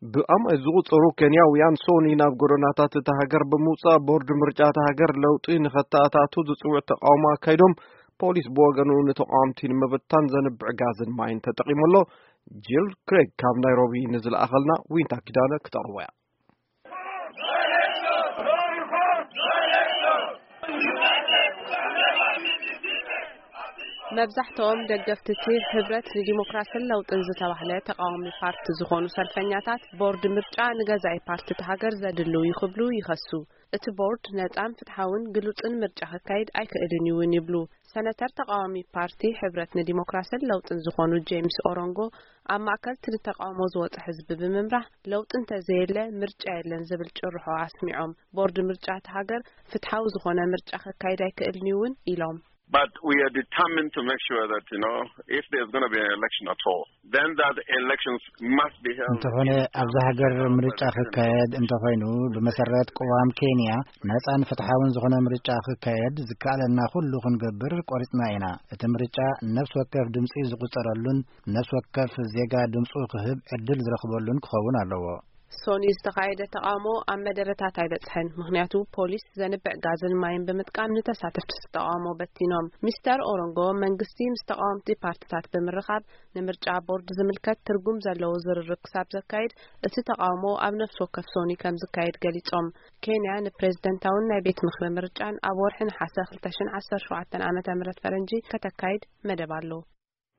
ብኣማይ ዝቑጸሩ ኬንያውያን ሶኒ ናብ ጎደናታት እታ ሃገር ብምውጻእ፣ ቦርድ ምርጫ እታ ሃገር ለውጢ ንኸተኣታቱ ዝጽውዕ ተቓውሞ ኣካይዶም። ፖሊስ ብወገኑ ንተቓወምቲ ንምብታን ዘንብዕ ጋዝን ማይን ተጠቒሙ ኣሎ። ጂል ክሬግ ካብ ናይሮቢ ንዝለኣኸልና ዊንታ ኪዳነ ክተቕርቦ እያ። መብዛሕትኦም ደገፍቲ እቲ ህብረት ንዲሞክራስን ለውጥን ዝተባህለ ተቓዋሚ ፓርቲ ዝኾኑ ሰልፈኛታት፣ ቦርድ ምርጫ ንገዛኢ ፓርቲ እቲ ሃገር ዘድልው እዩ ክብሉ ይኸሱ። እቲ ቦርድ ነጻን ፍትሓውን ግሉጽን ምርጫ ክካየድ ኣይክእልን እዩ እውን ይብሉ። ሰነተር ተቓዋሚ ፓርቲ ሕብረት ንዲሞክራስን ለውጥን ዝኾኑ ጄምስ ኦሮንጎ፣ ኣብ ማእከል እቲ ንተቓውሞ ዝወጸ ህዝቢ ብምምራሕ፣ ለውጢ እንተዘየለ ምርጫ የለን ዝብል ጭርሖ ኣስሚዖም። ቦርድ ምርጫ እቲ ሃገር ፍትሓዊ ዝኾነ ምርጫ ክካየድ ኣይክእልን እዩ እውን ኢሎም። But we are determined to make sure that, you know, if there's going to be an election at all, then that elections must be held. እንተኾነ ኣብዚ ሃገር ምርጫ ክካየድ እንተኾይኑ፣ ብመሰረት ቅዋም ኬንያ ነጻን ፍትሓውን ዝኾነ ምርጫ ክካየድ ዝከኣለና ኩሉ ክንገብር ቆሪጽና ኢና። እቲ ምርጫ ነፍሲ ወከፍ ድምጺ ዝቑጸረሉን ነፍሲ ወከፍ ዜጋ ድምጹ ክህብ ዕድል ዝረኽበሉን ክኸውን ኣለዎ። ሶኒ ዝተኻየደ ተቓውሞ ኣብ መደረታት ኣይበጽሐን፣ ምኽንያቱ ፖሊስ ዘንብዕ ጋዝን ማይን ብምጥቃም ንተሳተፍቲ ተቓውሞ በቲኖም። ሚስተር ኦሮንጎ፣ መንግስቲ ምስ ተቓወምቲ ፓርትታት ብምርኻብ ንምርጫ ቦርድ ዝምልከት ትርጉም ዘለዎ ዝርርብ ክሳብ ዘካይድ፣ እቲ ተቓውሞ ኣብ ነፍሲ ወከፍ ሶኒ ከም ዝካየድ ገሊጾም። ኬንያ ንፕሬዝደንታውን ናይ ቤት ምኽሪ ምርጫን ኣብ ወርሒ ነሓሰ ክልተ ሽሕን ዓሰርተ ሸውዓተን ዓመተ ምህረት ፈረንጂ ከተካይድ መደብ ኣሎ።